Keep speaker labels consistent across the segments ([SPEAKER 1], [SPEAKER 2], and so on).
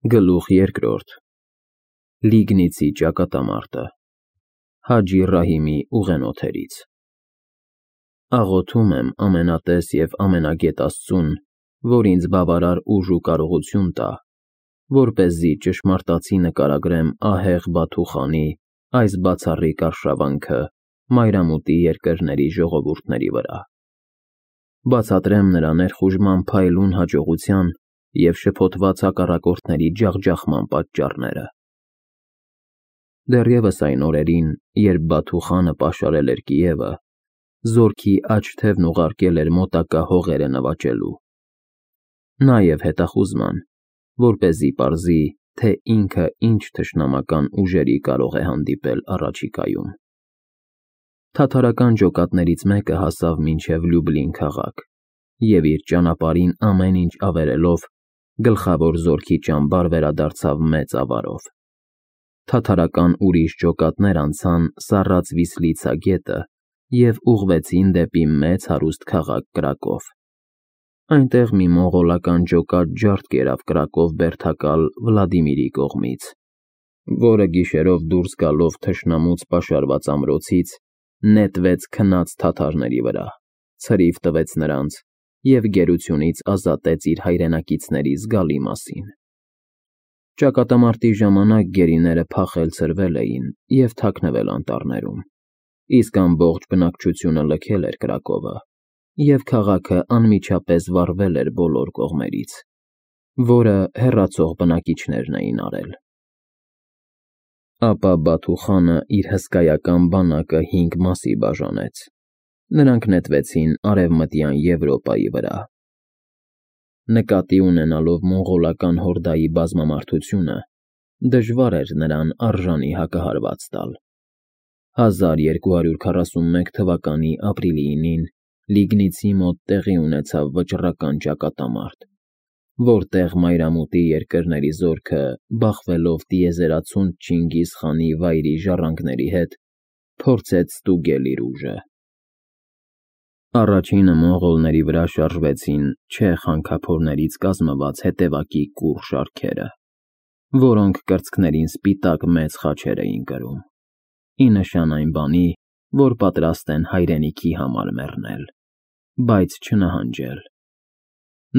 [SPEAKER 1] Գլուխ երկրորդ Լիգնիցի ճակատամարտը Հաջի Ռահիմի ուղենոթերից Աղոթում եմ ամենատես և ամենագետ Աստծուն, որ ինձ բավարար ուժ ու կարողություն տա, որպեսզի ճշմարտացի նկարագրեմ ահեղ Բաթուխանի այս բացառիկ արշավանքը մայրամուտի երկրների ժողովուրդների վրա, բացատրեմ նրա ներխուժման փայլուն հաջողության և շփոթված հակառակորդների ջախջախման պատճառները։ Դեռևս այն օրերին, երբ Բաթուխանը պաշարել էր Կիևը, զորքի աջ թևն ուղարկել էր մոտակա հողերը նվաճելու, նաև հետախուզման, որպեսզի պարզի, թե ինքը ինչ թշնամական ուժերի կարող է հանդիպել առաջիկայում։ Թաթարական ջոկատներից մեկը հասավ մինչև Լյուբլին քաղաք և իր ճանապարհին ամեն ինչ ավերելով գլխավոր զորքի ճամբար վերադարձավ մեծ ավարով։ Թաթարական ուրիշ ջոկատներ անցան Սառած Վիսլիցա գետը և ուղղվեցին դեպի մեծ հարուստ քաղաք Կրակով։ Այնտեղ մի մոնղոլական ջոկատ ջարդ կերավ Կրակով բերդակալ Վլադիմիրի կողմից, որը գիշերով դուրս գալով թշնամուց պաշարված ամրոցից նետվեց քնած թաթարների վրա, ցրիվ տվեց նրանց և գերությունից ազատեց իր հայրենակիցների զգալի մասին։ Ճակատամարտի ժամանակ գերիները փախել-ցրվել էին և թաքնվել անտառներում, իսկ ամբողջ բնակչությունը լքել էր Կրակովը, և քաղաքը անմիջապես վառվել էր բոլոր կողմերից, որը հեռացող բնակիչներն էին արել։ Ապա Բաթուխանը իր հսկայական բանակը 5 մասի բաժանեց։ Նրանք նետվեցին Արևմտյան Եվրոպայի վրա։ Նկատի ունենալով մոնղոլական հորդայի բազմամարդությունը, դժվար էր նրան արժանի հակահարված տալ։ 1241 թվականի ապրիլի 9-ին Լիգնիցի մոտ տեղի ունեցավ վճռական ճակատամարտ, որտեղ մայրամուտի երկրների զորքը, բախվելով տիեզերացունց Չինգիզ խանի վայրի ժառանգների հետ, փորձեց ստուգել իր ուժը։ Առաջինը մոնղոլների վրա շարժվեցին չեխ հանքափորներից կազմված հետևակի կուռ շարքերը, որոնք կրծքներին սպիտակ մեծ խաչեր էին կրում, ի նշան այն բանի, որ պատրաստ են հայրենիքի համար մեռնել, բայց չնահանջել։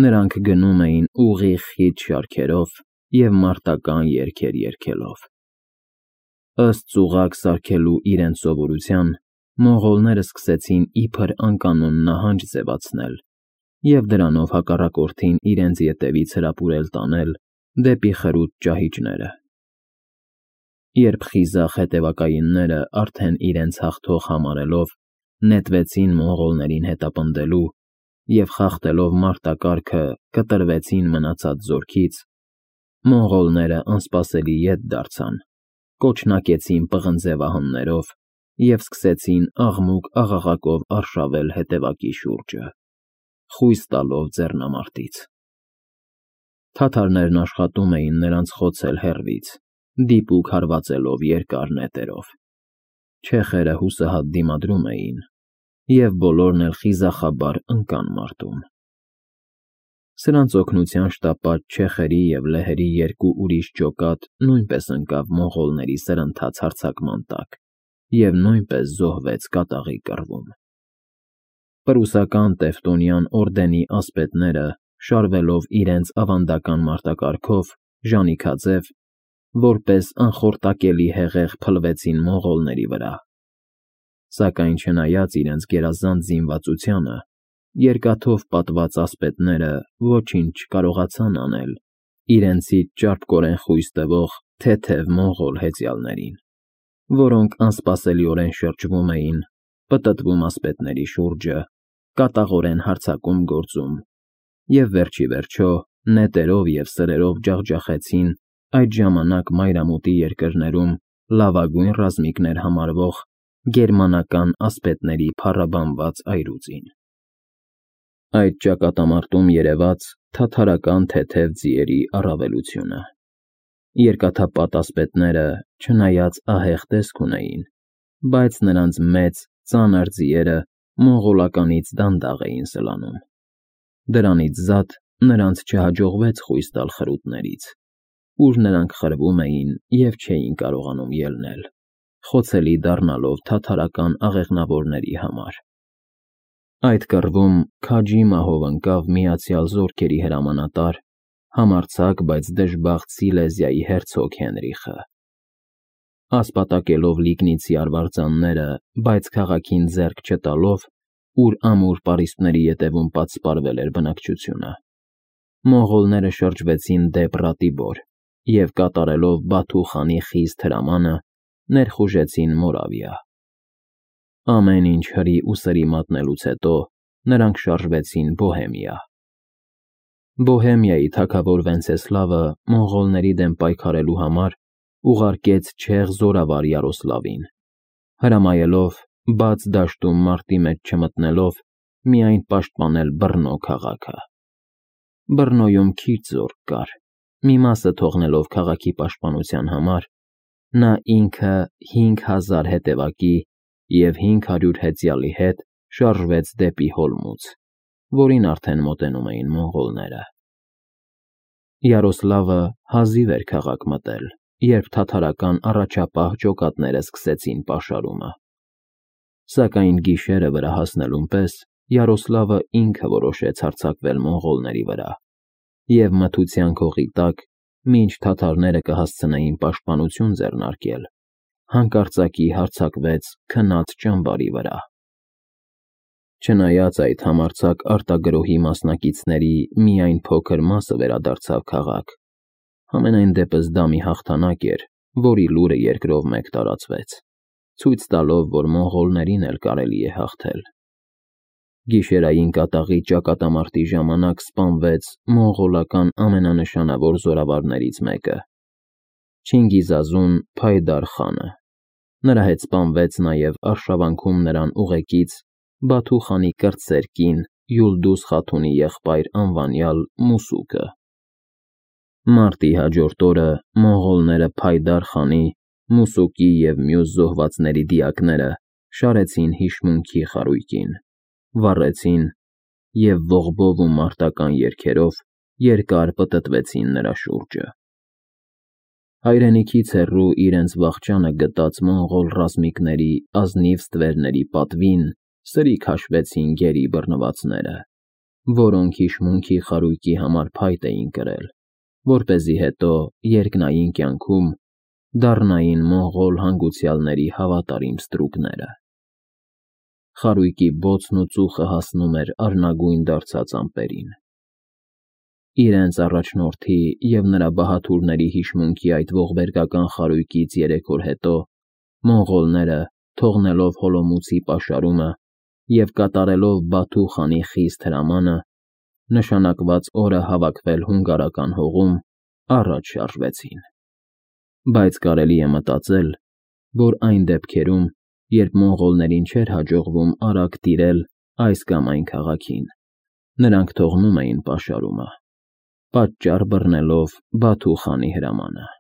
[SPEAKER 1] Նրանք գնում էին ուղիղ խիտ շարքերով և մարտական երգեր երգելով։ Ըստ ծուղակ սարքելու իրենց սովորության, մոնղոլները սկսեցին իբր անկանոն նահանջ ձևացնել և դրանով հակառակորդին իրենց ետևից հրապուրել տանել դեպի խրուտ ճահիճները։ Երբ խիզախ հետևակայինները արդեն իրենց հաղթող համարելով նետվեցին մոնղոլներին հետապնդելու և խախտելով մարտակարգը կտրվեցին մնացած զորքից, մոնղոլները անսպասելի ետ դարձան, կոչնակեցին պղնձե վահաններով և սկսեցին աղմուկ-աղաղակով արշավել հետևակի շուրջը, խույս տալով ձեռնամարտից։ Թաթարներն աշխատում էին նրանց խոցել հեռվից, դիպուկ հարվածելով երկար նետերով։ Չեխերը հուսահատ դիմադրում էին, և բոլորն էլ խիզախաբար ընկան մարտում։ Սրանց օգնության շտապած չեխերի և լեհերի 2 ուրիշ ջոկատ նույնպես ընկավ մոնղոլների սրընթաց հարձակման տակ և նույնպես զոհվեց կատաղի կռվում։ Պրուսական Տևտոնյան օրդենի ասպետները, շարվելով իրենց ավանդական մարտակարգով, ժանիքաձև, որպես անխորտակելի հեղեղ փլվեցին մոնղոլների վրա։ Սակայն չնայած իրենց գերազանց զինվածությանը, երկաթով պատված ասպետները ոչինչ չկարողացան անել իրենցից ճարպկորեն խույս տվող թեթև մոնղոլ հեծյալներին, որոնք անսպասելիորեն շրջվում էին, պտտվում ասպետների շուրջը, կատաղորեն հարձակում գործում և վերջիվերջո նետերով և սրերով ջախջախեցին այդ ժամանակ մայրամուտի երկրներում լավագույն ռազմիկներ համարվող գերմանական ասպետների փառաբանված այրուձին։ Այդ ճակատամարտում երևաց թաթարական թեթև ձիերի առավելությունը։ Երկաթապատ ասպետները, չնայած ահեղ տեսք ունեին, բայց նրանց մեծ, ծանր ձիերը մոնղոլականից դանդաղ էին սլանում։ Դրանից զատ նրանց չհաջողվեց խույս տալ խրուտներից, ուր նրանք խրվում էին և չէին կարողանում ելնել, խոցելի դառնալով թաթարական աղեղնավորների համար։ Այդ կռվում քաջի մահով ընկավ Միացյալ Զորքերի հրամանատար, համարձակ, բայց դժբախտ Սիլեզիայի հերցոգ Հենրիխը։ Ասպատակելով լիգնիցի արվարձանները, բայց քաղաքին ձեռք չտալով, ուր ամուր պարիսպների ետևում պատսպարվել էր բնակչությունը, մոնղոլները շրջվեցին դեպ Ռատիբոր և կատարելով Բաթու խանի խիստ հրամանը, ներխուժեցին Մորավիա։ Ամեն ինչ հրի ու սրի մատնելուց հետո նրանք շարժվեցին Բոհեմիա։ Բոհեմիայի թագավոր Վենցեսլավը մոնղոլների դեմ պայքարելու համար ուղարկեց չեխ զորավար Յարոսլավին, հրամայելով, բաց դաշտում մարտի մեջ չմտնելով, միայն պաշտպանել Բռնո քաղաքը։ Բռնոյում քիչ զորք կար, մի մասը թողնելով քաղաքի պաշտպանության համար, նա ինքը 5000 հետևակի և 500 հեծյալի հետ շարժվեց դեպի Հոլմուց, որին արդեն մոտենում էին մոնղոլները։ Յարոսլավը հազիվ էր քաղաք մտել, երբ թաթարական առաջապահ ջոկատները սկսեցին պաշարումը։ Սակայն գիշերը վրա հասնելուն պես Յարոսլավը ինքը որոշեց հարձակվել մոնղոլների վրա և մթության քողի տակ, մինչ թաթարները կհասցնեին պաշտպանություն ձեռնարկել, հանկարծակի հարձակվեց քնած ճամբարի վրա։ Չնայած այդ համարձակ արտագրոհի մասնակիցների միայն փոքր մասը վերադարձավ քաղաք, համենայն դեպս դա մի հաղթանակ էր, որի լուրը երկրով մեկ տարածվեց, ցույց տալով, որ մոնղոլներին էլ կարելի է հաղթել։ Գիշերային կատաղի ճակատամարտի ժամանակ սպանվեց մոնղոլական ամենանշանավոր զորավարներից մեկը՝ Չինգիզազուն Փայդար խանը։ Նրա հետ սպանվեց նաև արշավանքում նրան ուղեկից Բաթու խանի կրտսեր կին Յուլդուզ խաթունի եղբայր անվանյալ Մուսուկը։ Մարտի հաջորդ օրը մոնղոլները Փայդար խանի, Մուսուկի և մյուս զոհվածների դիակները շարեցին հիշմունքի խարույկին, վառեցին և ողբով ու մարտական երգերով երկար պտտվեցին նրա շուրջը։ Հայրենիքից հեռու իրենց վախճանը գտած մոնղոլ ռազմիկների ազնիվ ստվերների պատվին սրի քաշվեցին գերի բռնվածները, որոնք հիշմունքի խարույկի համար փայտ էին կրել, որպեսզի հետո երկնային կյանքում դառնային մոնղոլ հանգուցյալների հավատարիմ ստրուկները։ Խարույկի բոցն ու ծուխը հասնում էր արնագույն դարձած ամպերին։ Իրենց առաջնորդի և նրա բահաթուրների հիշմունքի այդ ողբերգական խարույկից 3 օր հետո մոնղոլները, թողնելով Հոլոմուցի պաշարումը և կատարելով Բաթու խանի խիստ հրամանը, նշանակված օրը հավաքվել հունգարական հողում, առաջ շարժվեցին։ Բայց կարելի է մտածել, որ այն դեպքերում, երբ մոնղոլներին չէր հաջողվում արագ տիրել այս կամ այն քաղաքին, նրանք թողնում էին պաշարումը, պատճառ բռնելով Բաթու խանի հրամանը։